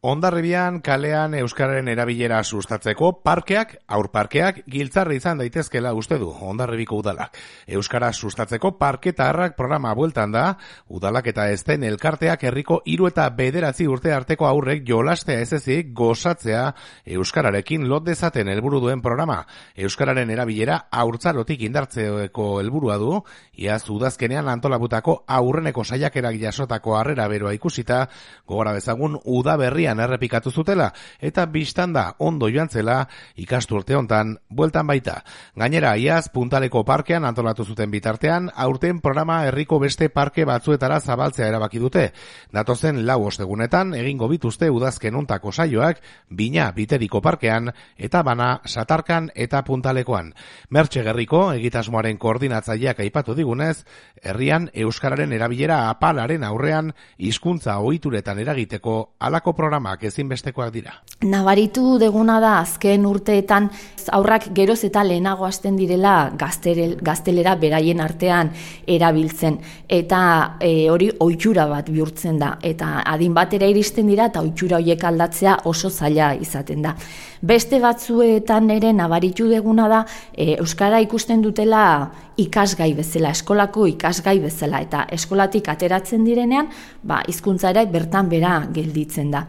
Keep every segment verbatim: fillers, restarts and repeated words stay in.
Hondarribian kalean euskararen erabilera sustatzeko parkeak, aurparkeak giltzarri izan daitezkela uste du Hondarribiko udalak. Euskara sustatzeko parketaharrak programa bueltan da, udalak eta ezten elkarteak herriko hiru eta bederatzi urte arteko aurrek jolastea ez ezik gozatzea euskararekin lot dezaten helburu duen programa. Euskararen erabilera haurtzarotik indartzeko helburua du, iaz udazkenean antolabutako aurreneko saiakerak jasotako harrera beroa ikusita, gogora bezagun udaberrian errepikatu zutela, eta bistan da ondo joan zela ikasturte hontan bueltan baita. Gainera, iaz Puntaleko parkean antolatu zuten bitartean, aurten programa herriko beste parke batzuetara zabaltzea erabaki dute. Datozen lau ostegunetan egingo bituzte udazken hontako saioak, Bina Biteriko parkean eta Bana Satarkan eta Puntalekoan. Mertxe Gerriko egitasmoaren koordinatzaileak aipatu digunez, herrian euskararen erabilera apalaren aurrean hizkuntza ohituretan eragiteko halako programa ezinbestekoak dira. Nabaritu deguna da azken urteetan aurrak geroz eta lehenago hasten direla gazterel, gaztelera beraien artean erabiltzen eta e, hori ohitura bat bihurtzen da eta adin batera iristen dira eta ohitura horiek aldatzea oso zaila izaten da. Beste batzuetan ere nabaritu deguna da e, euskara ikusten dutela ikasgai bezala, eskolako ikasgai bezala eta eskolatik ateratzen direnean, ba hizkuntza ere bertan bera gelditzen da.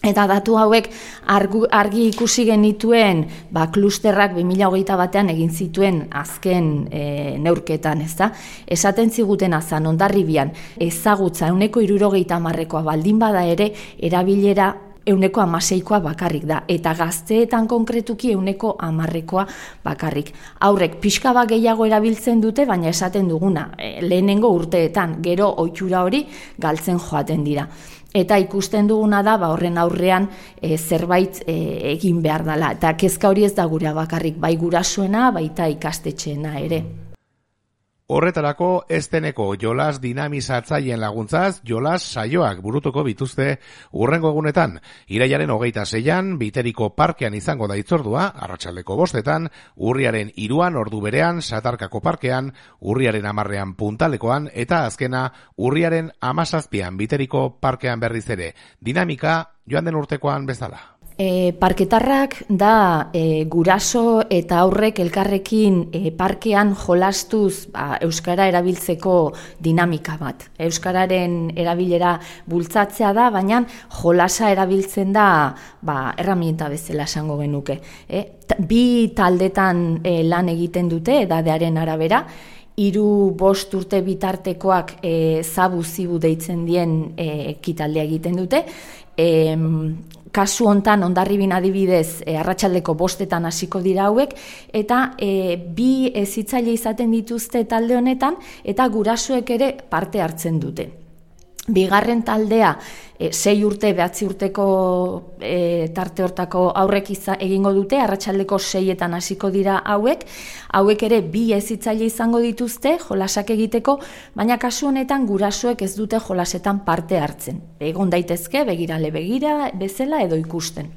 Eta datu hauek argu, argi ikusi genituen ba, klusterrak bi mila hogeita batean egin zituen azken e, neurketan, ez da? Esaten ziguten azan Hondarribian ezagutza ehuneko hirurogeita hamarrekoa baldin bada ere erabilera ehuneko hamaseikoa bakarrik da, eta gazteetan konkretuki ehuneko hamarrekoa bakarrik. Aurrek pixka bat gehiago erabiltzen dute, baina esaten duguna, e, lehenengo urteetan, gero ohitura hori galtzen joaten dira. Eta ikusten duguna da, ba, horren aurrean e, zerbait e, egin behar dela. Eta kezka hori ez da gura bakarrik, bai gurasoena, baita ikastetxeena ere. Horretarako ezteneko jolas dinamizatzaileen laguntzaz, jolas saioak burutuko bituzte hurrengo egunetan. Irailaren hogeita seian, Biteriko parkean izango da hitzordua, arratsaldeko bostetan, urriaren hiruan ordu berean, Satarkako parkean, urriaren hamarrean Puntalekoan, eta azkena urriaren hamazazpian Biteriko parkean berriz ere. Dinamika joan den urtekoan bezala. E, parketarrak da e, guraso eta aurrek elkarrekin e, parkean jolastuz ba, euskara erabiltzeko dinamika bat. Euskararen erabilera bultzatzea da, baina jolasa erabiltzen da ba, erramienta bezala esango genuke. E, bi taldetan e, lan egiten dute edadearen arabera, hiru bost urte bitartekoak e, zabu zibu deitzen dien e, ekitaldea egiten dute. E, Kasu hontan Hondarribin adibidez e, arratsaldeko bostetan hasiko dira hauek eta e, bi hezitzaile izaten dituzte talde honetan eta gurasoek ere parte hartzen dute. Bigarren taldea e, sei urte, behatzi urteko e, tarte hortako aurrek iza, egingo dute, arratsaldeko seietan hasiko dira hauek, hauek ere bi hezitzaile izango dituzte jolasak egiteko, baina kasu honetan gurasoek ez dute jolasetan parte hartzen. Egon daitezke begirale begira bezala edo ikusten.